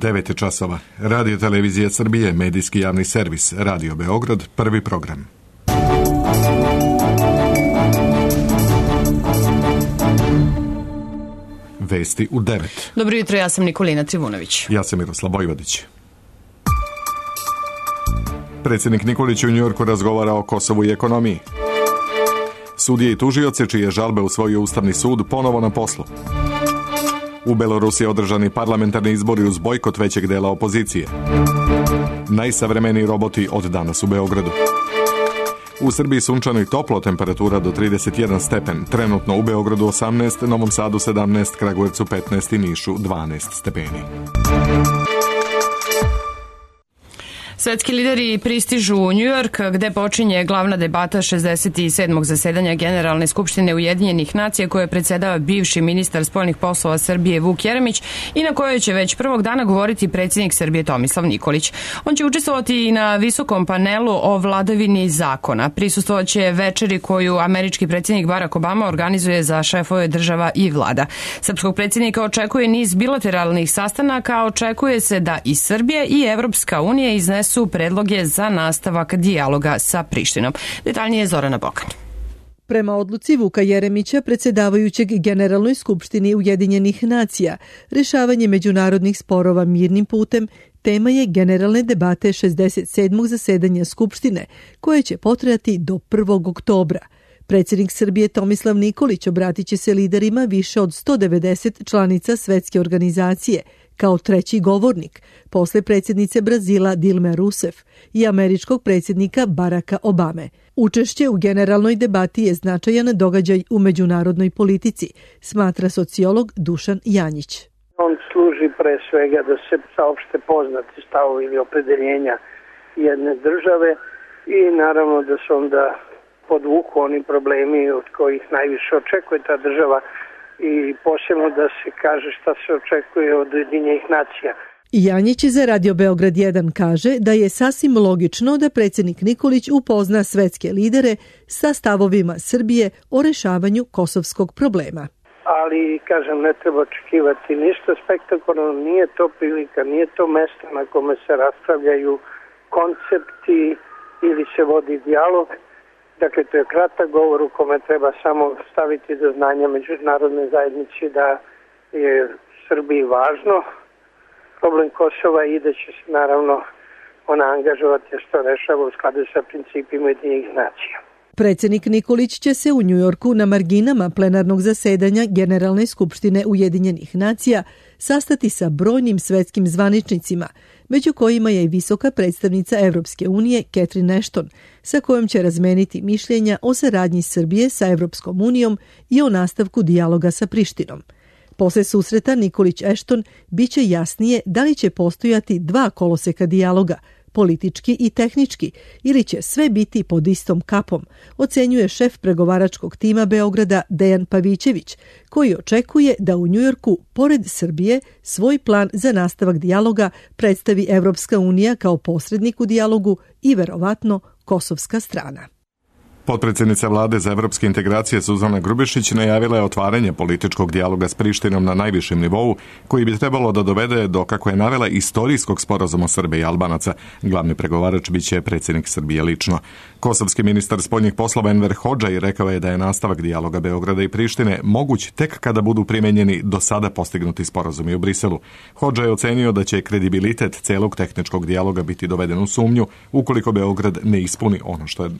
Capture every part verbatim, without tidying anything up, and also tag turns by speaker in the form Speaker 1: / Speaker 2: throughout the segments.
Speaker 1: devet je časova. Radio Televizija Srbije, medijski javni servis, Radio Beograd, prvi program. Vesti u devet.
Speaker 2: Dobro jutro, ja sam Nikolina Trivunović.
Speaker 1: Ja sam Miroslav Bojvodić. Predsjednik Nikolić u Njujorku razgovara o Kosovu i ekonomiji. Sudije i tužioci čije žalbe usvojio Ustavni sud ponovo na poslu. U Belorusiji održani parlamentarni izbori uz bojkot većeg dela opozicije. Najsavremeniji roboti od danas u Beogradu. U Srbiji sunčano i toplo, temperatura do trideset jedan stepen. Trenutno u Beogradu osamnaest, Novom Sadu sedamnaest, Kragujevcu petnaest i Nišu dvanaest stepeni.
Speaker 2: Svetski lideri pristižu u Njujork, gde počinje glavna debata šezdeset sedmog zasedanja Generalne skupštine Ujedinjenih nacija koje predsedava bivši ministar spoljnih poslova Srbije Vuk Jeremić i na kojoj će već prvog dana govoriti predsjednik Srbije Tomislav Nikolić. On će učestvovati i na visokom panelu o vladavini zakona. Prisustvovaće večeri koju američki predsjednik Barack Obama organizuje za šefove država i vlada. Srpskog predsjednika očekuje niz bilateralnih sastanaka, a očekuje se da i Srbija i Evropska unija iznesu su predloge za nastavak dijaloga sa Prištinom. Detaljnije Zorana Bokan.
Speaker 3: Prema odluci Vuka Jeremića, predsjedavajućeg Generalnoj skupštini Ujedinjenih nacija, rešavanje međunarodnih sporova mirnim putem tema je generalne debate šezdeset sedmog zasedanja Skupštine, koje će potrajati do prvog oktobra. Predsjednik Srbije Tomislav Nikolić obratit će se liderima više od sto devedeset članica svetske organizacije, kao treći govornik, posle predsjednice Brazila Dilme Rousseff i američkog predsjednika Baracka Obame. Učešće u generalnoj debati je značajan događaj u međunarodnoj politici, smatra sociolog Dušan Janjić.
Speaker 4: On služi pre svega da se saopšte poznati stavovi ili opredeljenja jedne države i naravno da se onda podvuku oni problemi od kojih najviše očekuje ta država i posebno da se kaže šta se očekuje od Ujedinjenih nacija.
Speaker 3: Janjić za Radio Beograd jedan kaže da je sasvim logično da predsjednik Nikolić upozna svetske lidere sa stavovima Srbije o rešavanju kosovskog problema.
Speaker 4: Ali, kažem, ne treba očekivati ništa spektakularno, nije to prilika, nije to mesto na kome se raspravljaju koncepti ili se vodi dijalog. Dakle, to je kratak govor u kome treba samo staviti do znanja međunarodne zajednici da je Srbiji važno problem Kosova i da će se naravno ona angažovati što rešava u skladu sa principima Ujedinjenih nacija.
Speaker 3: Predsjednik Nikolić će se u Njujorku na marginama plenarnog zasedanja Generalne skupštine Ujedinjenih nacija sastati sa brojnim svetskim zvaničnicima, među kojima je i visoka predstavnica Evropske unije Catherine Ashton, sa kojom će razmeniti mišljenja o saradnji Srbije sa Evropskom unijom i o nastavku dijaloga sa Prištinom. Posle susreta Nikolić-Ashton biće jasnije da li će postojati dva koloseka dijaloga, politički i tehnički, ili će sve biti pod istom kapom, ocenjuje šef pregovaračkog tima Beograda Dejan Pavićević, koji očekuje da u Njujorku, pored Srbije, svoj plan za nastavak dijaloga predstavi Evropska unija kao posrednik u dijalogu i verovatno kosovska strana.
Speaker 1: Potpredsjednica vlade za evropske integracije Suzana Grubješić najavila je otvaranje političkog dijaloga s Prištinom na najvišem nivou, koji bi trebalo da dovede do, kako je navela, istorijskog sporazuma Srbe i Albanaca. Glavni pregovarač biće predsjednik Srbije lično. Kosovski ministar spoljnih poslova Enver Hodžaj rekao je da je nastavak dijaloga Beograda i Prištine moguć tek kada budu primenjeni do sada postignuti sporazumi u Briselu. Hodžaj je ocenio da će kredibilitet celog tehničkog dijaloga biti doveden u sumnju ukoliko Beograd ne ispuni ono što je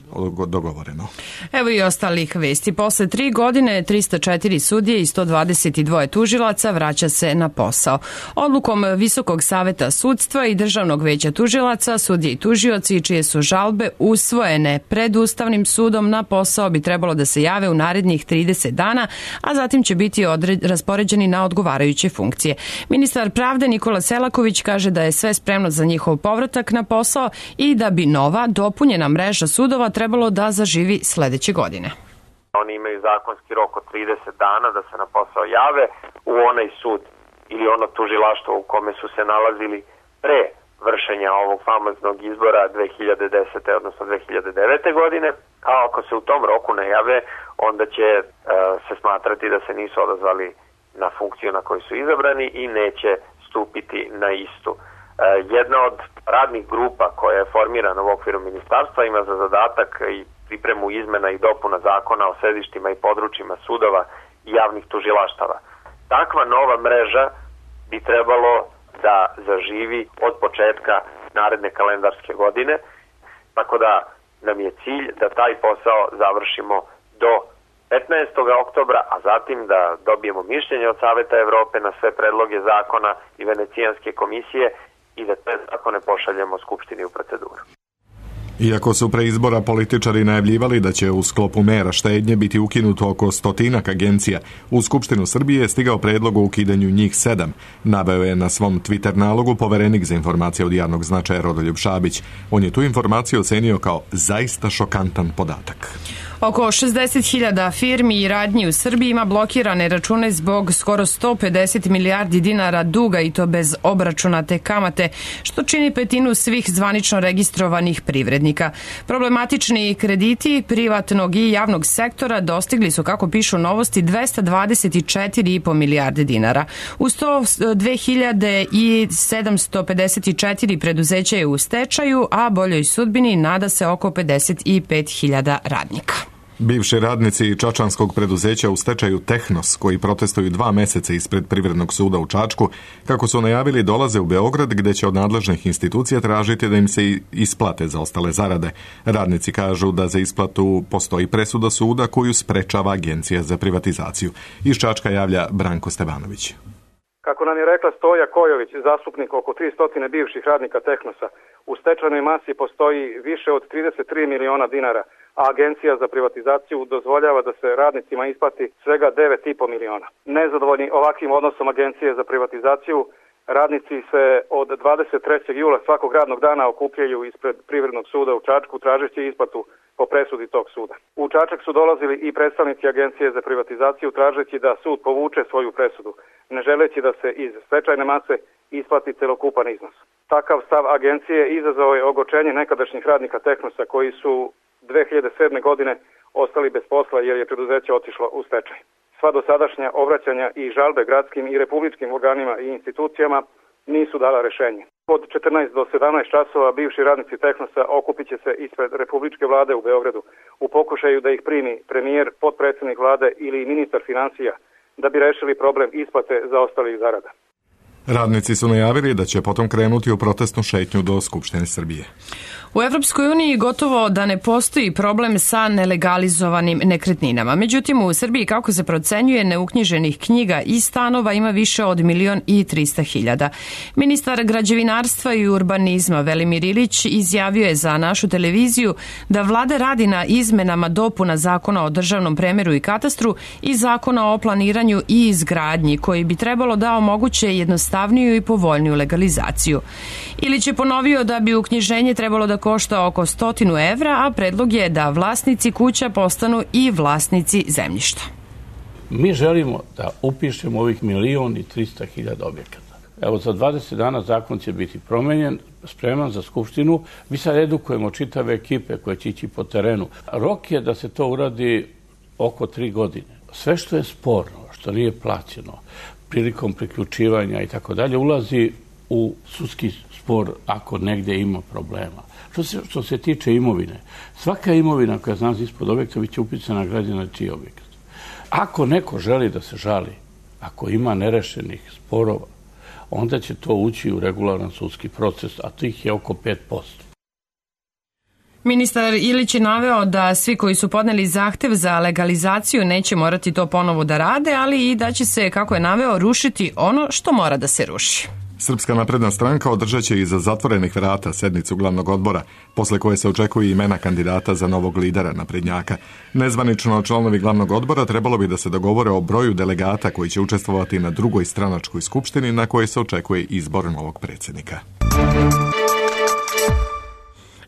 Speaker 1: dogovoreno.
Speaker 2: Evo i ostalih vesti. Posle tri godine trista četiri sudije i sto dvadeset dva tužilaca vraća se na posao. Odlukom Visokog saveta sudstva i Državnog veća tužilaca, sudije i tužioci čije su žalbe usvojene pred Ustavnim sudom na posao bi trebalo da se jave u narednih trideset dana, a zatim će biti odred, raspoređeni na odgovarajuće funkcije. Ministar pravde Nikola Selaković kaže da je sve spremno za njihov povratak na posao i da bi nova dopunjena mreža sudova trebalo da zaživi sledeće godine.
Speaker 5: Oni imaju zakonski rok od trideset dana da se na posao jave u onaj sud ili ono tužilaštvo u kome su se nalazili pre vršenja ovog famoznog izbora dve hiljade desete. odnosno dve hiljade devete. godine, a ako se u tom roku ne jave, onda će e, se smatrati da se nisu odazvali na funkciju na koju su izabrani i neće stupiti na istu. Jedna od radnih grupa koja je formirana u okviru ministarstva ima za zadatak i pripremu izmena i dopuna zakona o sedištima i područjima sudova i javnih tužilaštava. Takva nova mreža bi trebalo da zaživi od početka naredne kalendarske godine, tako da nam je cilj da taj posao završimo do petnaestog oktobra, a zatim da dobijemo mišljenje od Saveta Evrope na sve predloge zakona i Venecijanske komisije i da te zakone pošaljemo Skupštini u proceduru.
Speaker 1: Iako su pre izbora političari najavljivali da će u sklopu mera štednje biti ukinuto oko stotinak agencija, u Skupštinu Srbije je stigao predlog o ukidanju njih sedam, naveo je na svom Twitter nalogu poverenik za informacije od javnog značaja Rodoljub Šabić. On je tu informaciju ocenio kao zaista šokantan podatak.
Speaker 2: Oko šezdeset hiljada firmi i radnji u Srbiji ima blokirane račune zbog skoro sto pedeset milijardi dinara duga i to bez obračunate kamate, što čini petinu svih zvanično registrovanih privrednika. Problematični krediti privatnog i javnog sektora dostigli su, kako pišu Novosti, dvesta dvadeset četiri i po milijarde dinara. Uz to dve hiljade sedamsto pedeset četiri preduzeća je u stečaju, a boljoj sudbini nada se oko pedeset pet hiljada radnika.
Speaker 1: Bivši radnici čačanskog preduzeća u stečaju Tehnos, koji protestuju dva meseca ispred Privrednog suda u Čačku, kako su najavili, dolaze u Beograd gde će od nadležnih institucija tražiti da im se isplate za ostale zarade. Radnici kažu da za isplatu postoji presuda suda koju sprečava Agencija za privatizaciju. Iz Čačka javlja Branko Stevanović.
Speaker 6: Kako nam je rekla Stoja Kojović, zastupnik oko tristo bivših radnika Tehnosa, u stečajnoj masi postoji više od trideset tri miliona dinara, a Agencija za privatizaciju dozvoljava da se radnicima isplati svega devet i po miliona. Nezadovoljni ovakvim odnosom Agencije za privatizaciju, radnici se od dvadeset trećeg jula svakog radnog dana okupljaju ispred Privrednog suda u Čačku tražeći isplatu po presudi tog suda. U Čačak su dolazili i predstavnici Agencije za privatizaciju tražeći da sud povuče svoju presudu, ne želeći da se iz stečajne mase isplati celokupan iznos. Takav stav agencije izazvao je ogorčenje nekadašnjih radnika Tehnosa koji su dve hiljade sedme. godine ostali bez posla jer je preduzeće otišlo u stečaj. Sva dosadašnja obraćanja i žalbe gradskim i republičkim organima i institucijama nisu dala rešenje. Od četrnaest do sedamnaest časova bivši radnici Tehnosa okupit će se ispred Republičke vlade u Beogradu u pokušaju da ih primi premijer, potpredsjednik vlade ili ministar finansija da bi rešili problem isplate zaostalih zarada.
Speaker 1: Radnici su najavili da će potom krenuti u protestnu šetnju do Skupštine Srbije.
Speaker 2: U Evropskoj uniji gotovo da ne postoji problem sa nelegalizovanim nekretninama. Međutim, u Srbiji, kako se procenjuje, neuknjiženih knjiga i stanova ima više od milion i trista hiljada. Ministar građevinarstva i urbanizma Velimir Ilić izjavio je za našu televiziju da vlada radi na izmenama dopuna Zakona o državnom premeru i katastru i Zakona o planiranju i izgradnji, koji bi trebalo da omoguće jednostavniju i povoljniju legalizaciju. Ilić je ponovio da bi uknjiženje trebalo da košta oko stotinu evra, a predlog je da vlasnici kuća postanu i vlasnici zemljišta.
Speaker 7: Mi želimo da upišemo ovih milion i trista hiljada objekata. Evo, za dvadeset dana zakon će biti promenjen, spreman za Skupštinu. Mi sad edukujemo čitave ekipe koje će ići po terenu. Rok je da se to uradi oko tri godine. Sve što je sporno, što nije plaćeno, prilikom priključivanja i tako dalje, ulazi u sudski spor ako negde ima problema. Što se, što se tiče imovine, svaka imovina koja zna ispod objekta biće upisana građana čiji objekat. Ako neko želi da se žali, ako ima nerešenih sporova, onda će to ući u regularan sudski proces, a tih je oko pet posto.
Speaker 2: Ministar Ilić je naveo da svi koji su podneli zahtev za legalizaciju neće morati to ponovo da rade, ali i da će se, kako je naveo, rušiti ono što mora da se ruši.
Speaker 1: Srpska napredna stranka održat će iza zatvorenih vrata sednicu glavnog odbora, posle koje se očekuju imena kandidata za novog lidera naprednjaka. Nezvanično članovi glavnog odbora trebalo bi da se dogovore o broju delegata koji će učestvovati na drugoj stranačkoj skupštini na kojoj se očekuje izbor novog predsjednika.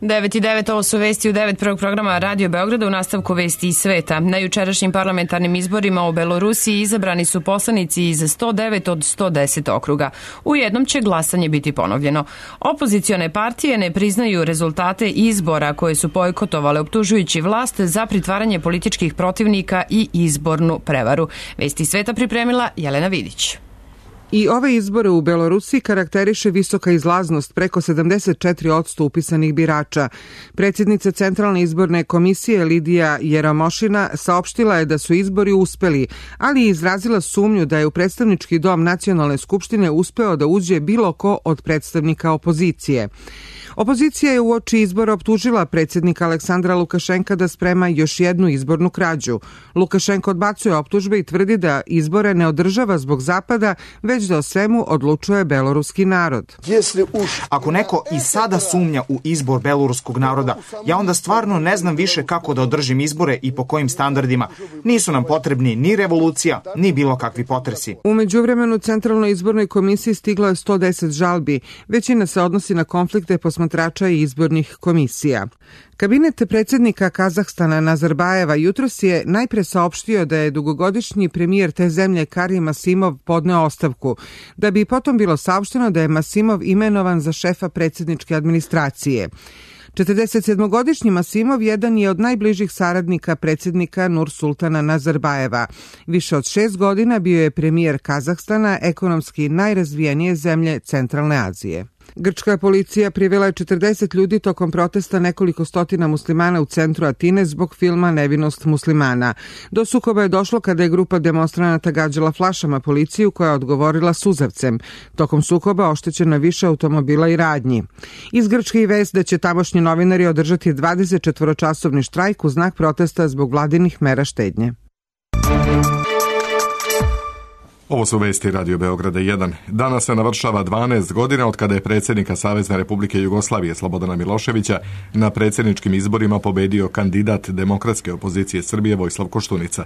Speaker 2: devet i devet, ovo su vesti u devet prvog programa Radio Beograda, u nastavku vesti iz sveta. Na jučerašnjim parlamentarnim izborima u Belorusiji izabrani su poslanici iz sto devet od sto deset okruga. U jednom će glasanje biti ponovljeno. Opozicione partije ne priznaju rezultate izbora koje su bojkotovale, optužujući vlast za pritvaranje političkih protivnika i izbornu prevaru. Vesti iz sveta pripremila Jelena Vidić.
Speaker 8: I ove izbore u Belorusiji karakteriše visoka izlaznost, preko sedamdeset četiri posto upisanih birača. Predsjednica Centralne izborne komisije Lidija Jeromošina saopštila je da su izbori uspeli, ali je izrazila sumnju da je u predstavnički dom Nacionalne skupštine uspeo da uđe bilo ko od predstavnika opozicije. Opozicija je uoči izbora optužila predsjednika Aleksandra Lukašenka da sprema još jednu izbornu krađu. Lukašenko odbacuje optužbe i tvrdi da izbore ne održava zbog Zapada, već da o svemu odlučuje beloruski narod.
Speaker 9: Ako neko i sada sumnja u izbor beloruskog naroda, ja onda stvarno ne znam više kako da održim izbore i po kojim standardima. Nisu nam potrebni ni revolucija, ni bilo kakvi potresi.
Speaker 8: U međuvremenu Centralnoj izbornoj komisiji stiglo je sto deset žalbi. Većina se odnosi na konflikte posmatrača i izbornih komisija. Kabinet predsjednika Kazahstana Nazarbajeva jutros je najpre saopštio da je dugogodišnji premijer te zemlje Karim Asimov podneo ostavku, da bi potom bilo saopšteno da je Masimov imenovan za šefa predsjedničke administracije. četrdesetsedmogodišnji Masimov jedan je od najbližih saradnika predsjednika Nursultana Nazarbajeva. Više od šest godina bio je premijer Kazahstana, ekonomski najrazvijenije zemlje Centralne Azije. Grčka policija privela je četrdeset ljudi tokom protesta nekoliko stotina muslimana u centru Atine zbog filma Nevinost muslimana. Do sukoba je došlo kada je grupa demonstranata gađala flašama policiju koja je odgovorila suzavcem. Tokom sukoba oštećeno više automobila i radnji. Iz Grčke i vest da će tamošnji novinari održati dvadesetčetvoročasovni štrajk u znak protesta zbog vladinih mera štednje.
Speaker 1: Ovo su vesti Radio Beograda jedan. Danas se navršava dvanaest godina od kada je predsjednika Savezne Republike Jugoslavije Slobodana Miloševića na predsjedničkim izborima pobedio kandidat demokratske opozicije Srbije Vojislav Koštunica.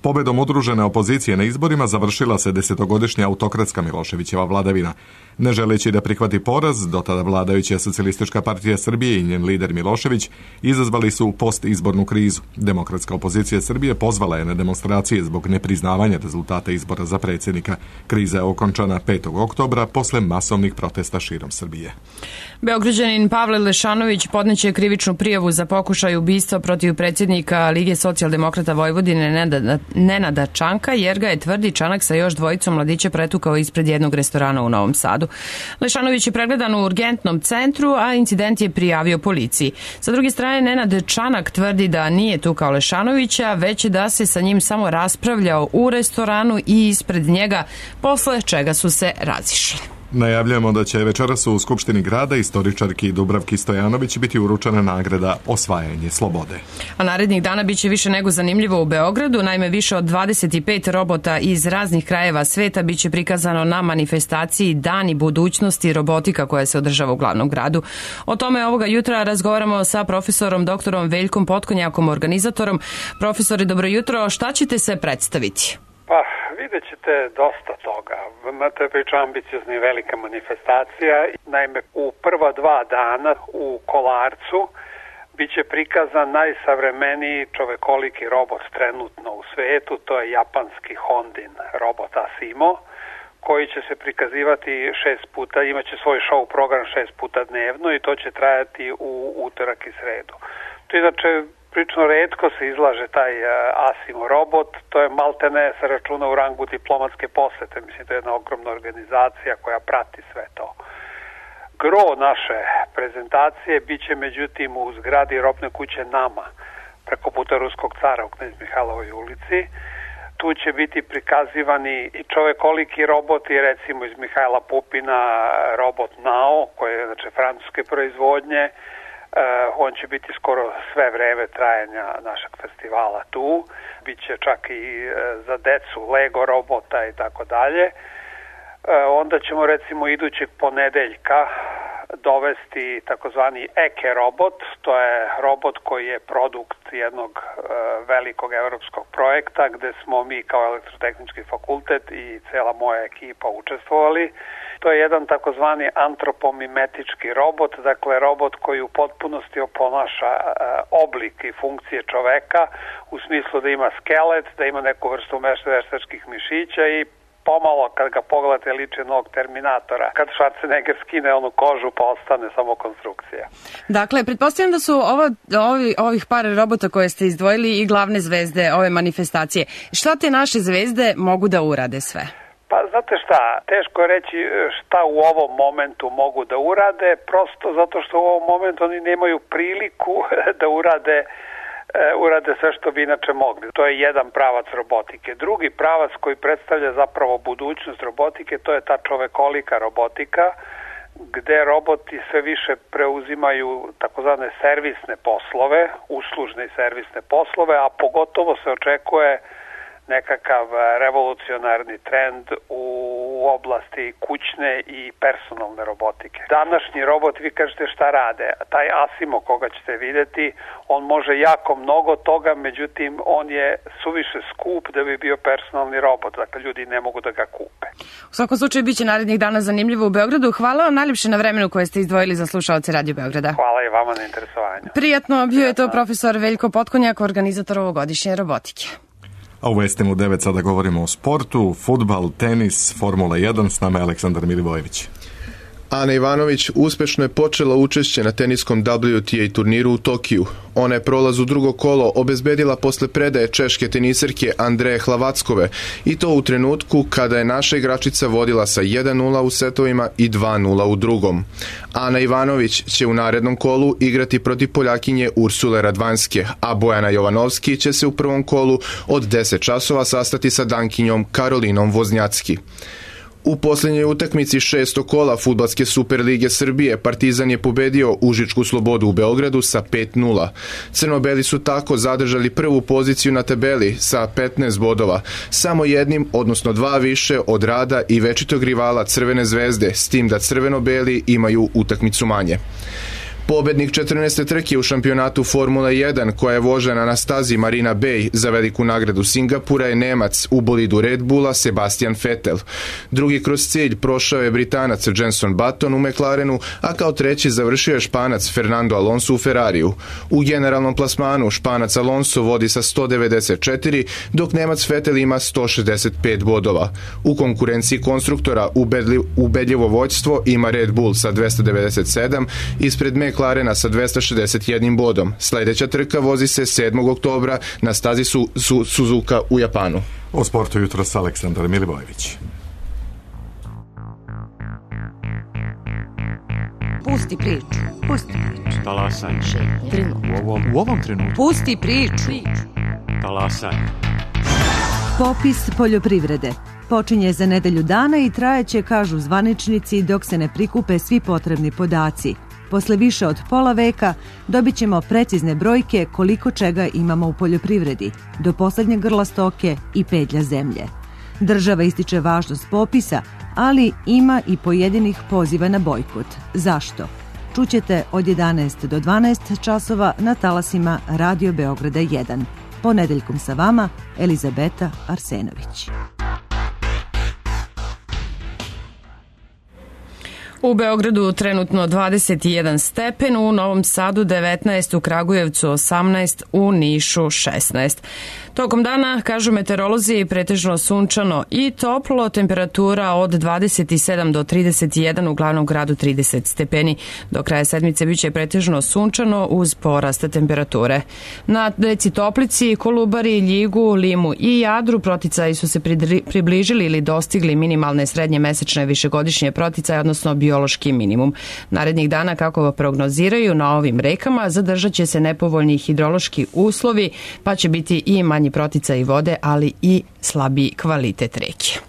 Speaker 1: Pobedom udružene opozicije na izborima završila se desetogodišnja autokratska Miloševićeva vladavina. Ne želeći da prihvati poraz, do tada vladajuća Socijalistička partija Srbije i njen lider Milošević izazvali su postizbornu krizu. Demokratska opozicija Srbije pozvala je na demonstracije zbog nepriznavanja rezultata izbora za predsjednika. Kriza je okončana petog oktobra posle masovnih protesta širom Srbije.
Speaker 2: Beograđanin Pavle Lešanović podneće krivičnu prijavu za pokušaj ubistva protiv predsjednika Lige socijaldemokrata Vojvodine Nenada, Nenada Čanka, jer ga je, tvrdi, Čanak sa još dvojicom mladića pretukao ispred jednog restorana u Novom Sadu. Lešanović je pregledan u urgentnom centru, a incident je prijavio policiji. Sa druge strane, Nenad Čanak tvrdi da nije tukao Lešanovića, već da se sa njim samo raspravljao u restoranu i ispred njega, posle čega su se razišli.
Speaker 1: Najavljamo da će večeras u Skupštini grada istoričarki Dubravki Stojanović biti uručena nagrada Osvajanje slobode.
Speaker 2: A narednih dana biće više nego zanimljivo u Beogradu. Naime, više od dvadeset pet robota iz raznih krajeva sveta biće prikazano na manifestaciji Dani budućnosti robotika koja se održava u glavnom gradu. O tome ovoga jutra razgovaramo sa profesorom doktorom Veljkom Potkonjakom, organizatorom. Profesore, dobro jutro. Šta ćete se predstaviti?
Speaker 10: Pa, vidjet ćete dosta toga. To je priča ambiciozna i velika manifestacija. Naime, u prva dva dana u Kolarcu bit će prikazan najsavremeniji čovekoliki robot trenutno u svetu. To je japanski Hondin robot Asimo, koji će se prikazivati šest puta, imaće svoj show program šest puta dnevno i to će trajati u utorak i sredu. To inače Prično retko se izlaže taj uh, Asimo robot, to je maltene se računa u rangu diplomatske posete, mislim to je jedna ogromna organizacija koja prati sve to. Gro naše prezentacije bit će međutim u zgradi robne kuće Nama, preko puta Ruskog cara u Knez Mihajlovoj ulici. Tu će biti prikazivani i čovekoliki roboti, recimo iz Mihajla Pupina robot Nao, koji je znači francuske proizvodnje. Uh, on će biti skoro sve vreme trajanja našeg festivala tu. Biće čak i uh, za decu Lego robota i tako dalje. Onda ćemo recimo idućeg ponedeljka dovesti takozvani Eke robot. To je robot koji je produkt jednog uh, velikog evropskog projekta gde smo mi kao elektrotehnički fakultet i cela moja ekipa učestvovali. To je jedan takozvani antropomimetički robot, dakle robot koji u potpunosti oponaša uh, oblik i funkcije čoveka u smislu da ima skelet, da ima neku vrstu veštačkih mišića i pomalo kad ga pogledate liči nog Terminatora. Kad Schwarzenegger skine onu kožu pa ostane samo konstrukcija.
Speaker 2: Dakle, pretpostavljam da su ovo, ovi, ovih par robota koje ste izdvojili i glavne zvezde ove manifestacije. Šta te naše zvezde mogu da urade sve?
Speaker 10: Pa znate šta, teško je reći šta u ovom momentu mogu da urade, prosto zato što u ovom momentu oni nemaju priliku da urade urade sve što bi inače mogli. To je jedan pravac robotike. Drugi pravac koji predstavlja zapravo budućnost robotike, to je ta čovekolika robotika, gde roboti sve više preuzimaju takozvane servisne poslove, uslužne i servisne poslove, a pogotovo se očekuje nekakav revolucionarni trend u oblasti kućne i personalne robotike. Današnji robot, vi kažete šta rade, taj Asimo koga ćete vidjeti, on može jako mnogo toga, međutim on je suviše skup da bi bio personalni robot, dakle ljudi ne mogu da ga kupe.
Speaker 2: U svakom slučaju biće narednih dana zanimljivo u Beogradu. Hvala vam najljepše na vremenu koje ste izdvojili za slušaoce Radio Beograda.
Speaker 10: Hvala i vama na interesovanju.
Speaker 2: Prijatno, bio je to profesor Veljko Potkonjak, organizator ovogodišnje robotike.
Speaker 1: A u vestima u devet sada govorimo o sportu, fudbal, tenis, Formula jedan, s nama je Aleksandar Milivojević.
Speaker 11: Ana Ivanović uspešno je počela učešće na teniskom W T A turniru u Tokiju. Ona je prolaz u drugo kolo obezbedila posle predaje češke teniserke Andreje Hlavackove i to u trenutku kada je naša igračica vodila sa jedan nula u setovima i dva nula u drugom. Ana Ivanović će u narednom kolu igrati protiv Poljakinje Ursule Radvanske, a Bojana Jovanovski će se u prvom kolu od deset časova sastati sa Dankinjom Karolinom Voznjacki. U posljednjoj utakmici šestog kola Fudbalske Superlige Srbije Partizan je pobedio Užičku Slobodu u Beogradu sa pet nula. Crnobeli su tako zadržali prvu poziciju na tabeli sa petnaest bodova, samo jednim, odnosno dva više od Rada i večitog rivala Crvene zvezde, s tim da crveno-beli imaju utakmicu manje. Pobednik četrnaeste trke u šampionatu Formula jedan, koja je vožena na stazi Marina Bay za veliku nagradu Singapura, je Nemac u bolidu Red Bulla Sebastian Vettel. Drugi kroz cilj prošao je Britanac Jenson Button u McLarenu, a kao treći završio je Španac Fernando Alonso u Ferrariju. U generalnom plasmanu Španac Alonso vodi sa sto devedeset četiri, dok Nemac Vettel ima sto šezdeset pet bodova. U konkurenciji konstruktora ubedljivo vođstvo ima Red Bull sa dvesta devedeset sedam, ispred McLarena sa dvesta šezdeset jedan bodom. Sljedeća trka vozi se sedmog oktobra na stazi su, su, Suzuka u Japanu.
Speaker 1: O sportu jutros Aleksandar Milivojević.
Speaker 12: Pusti priču. Pusti priču.
Speaker 13: Talasaj.
Speaker 12: U
Speaker 13: ovom, u ovom trenutku.
Speaker 12: Pusti priču.
Speaker 13: Talasaj.
Speaker 3: Popis poljoprivrede počinje za nedelju dana i trajeće, kažu zvaničnici, dok se ne prikupe svi potrebni podaci. Posle više od pola veka dobit ćemo precizne brojke koliko čega imamo u poljoprivredi, do poslednjeg grla stoke i pedlja zemlje. Država ističe važnost popisa, ali ima i pojedinih poziva na bojkot. Zašto? Čućete od jedanaest do dvanaest časova na talasima Radio Beograda jedan. Ponedeljkom sa vama Elizabeta Arsenović.
Speaker 2: U Beogradu trenutno dvadeset jedan stepen, u Novom Sadu devetnaest, u Kragujevcu osamnaest, u Nišu šesnaest. Tokom dana, kažu meteorolozi, pretežno sunčano i toplo, temperatura od dvadeset sedam do trideset jedan, u glavnom gradu trideset stepeni. Do kraja sedmice biće pretežno sunčano uz porast temperature. Na reci Toplici, Kolubari, Ljigu, Limu i Jadru proticaji su se približili ili dostigli minimalne srednje mesečne višegodišnje proticaje, odnosno biološki minimum. Narednih dana, kako prognoziraju, na ovim rekama zadržat će se nepovoljni hidrološki uslovi, pa će biti i manji proticaj vode, ali i slabiji kvalitet reke.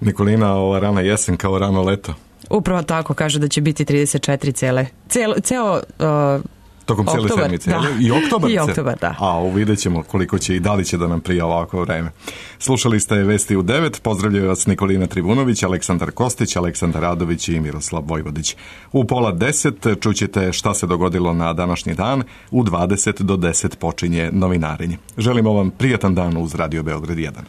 Speaker 1: Nikolina, ova rana jesen kao rano leto.
Speaker 2: Upravo tako, kaže da će biti trideset četiri cele, ceo, ceo uh,
Speaker 1: tokom cijele sedmice.
Speaker 2: Da.
Speaker 1: I oktobar.
Speaker 2: I oktobar, da.
Speaker 1: A vidjet ćemo koliko će i da li će da nam prija ovako vreme. Slušali ste Vesti u devet. Pozdravljaju vas Nikolina Trivunović, Aleksandar Kostić, Aleksandar Radović i Miroslav Vojvodić. U pola deset čućete šta se dogodilo na današnji dan. U dvadeset do deset počinje novinarenje. Želimo vam prijatan dan uz Radio Beograd jedan.